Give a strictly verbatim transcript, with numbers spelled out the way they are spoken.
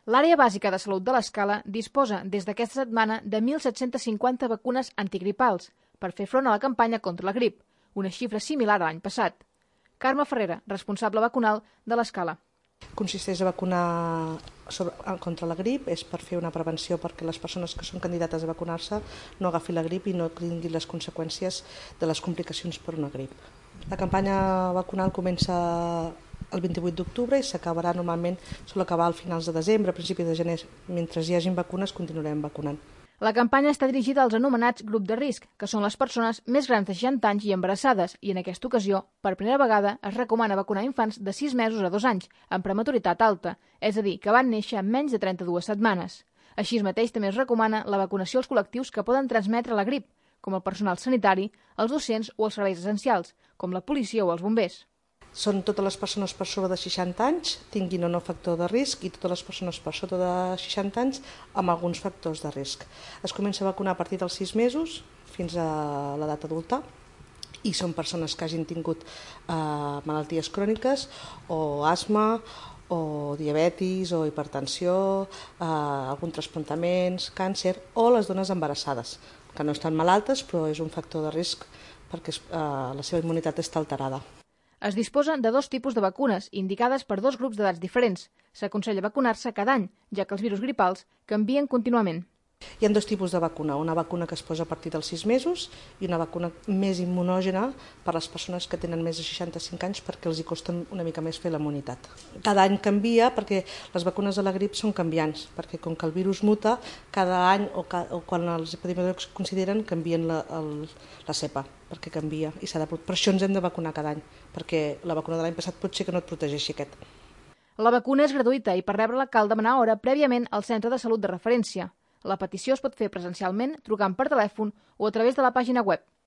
L'Àrea Bàsica de Salut de l'Escala disposa des d'aquesta setmana de mil set-cents cinquanta vacunes antigripals per fer front a la campanya contra la grip, una xifra similar a l'any passat. Carme Ferrera, responsable vacunal de l'Escala. Consisteix a vacunar sobre, contra la grip, és per fer una prevenció perquè les persones que són candidates a vacunar-se no agafin la grip i no tinguin les conseqüències de les complicacions per una grip. La campanya vacunal comença el vint-i-vuit d'octubre i s'acabarà normalment, sol acabar al finals de desembre, a principis de gener. Mentre hi hagin vacunes continuarem vacunant. La campanya està dirigida als anomenats grup de risc, que són les persones més grans de seixanta anys i embarassades, i en aquesta ocasió, per primera vegada, es recomana vacunar infants de sis mesos a dos anys, amb prematuritat alta, és a dir, que van néixer en menys de trenta-dues setmanes. Així mateix també es recomana la vacunació als col·lectius que poden transmetre la grip, com el personal sanitari, els docents o els serveis essencials, com la policia o els bombers. Són totes les persones per sobre de seixanta anys, tinguin o no factor de risc, i totes les persones per sota de seixanta anys amb alguns factors de risc. Es comença a vacunar a partir dels sis mesos fins a l'edat adulta i són persones que hagin tingut eh, malalties cròniques o asma o diabetis o hipertensió, eh, alguns trasplantaments, càncer o les dones embarassades, que no estan malaltes però és un factor de risc perquè eh, la seva immunitat està alterada. Es disposa de dos tipus de vacunes, indicades per dos grups d'edats diferents. S'aconsella vacunar-se cada any, ja que els virus gripals canvien contínuament. Hi ha dos tipus de vacuna, una vacuna que es posa a partir dels sis mesos i una vacuna més immunògena per a les persones que tenen més de seixanta-cinc anys perquè els hi costa una mica més fer la immunitat. Cada any canvia perquè les vacunes de la grip són canviants, perquè com que el virus muta, cada any o, ca o quan els epidemiòlegs consideren canvien la, el, la cepa, perquè canvia i s'ha de... Per això ens hem de vacunar cada any, perquè la vacuna de l'any passat pot ser que no et protegeixi aquest. La vacuna és gratuïta i per rebre-la cal demanar hora prèviament al centre de salut de referència. La petició es pot fer presencialment, trucant per telèfon o a través de la pàgina web.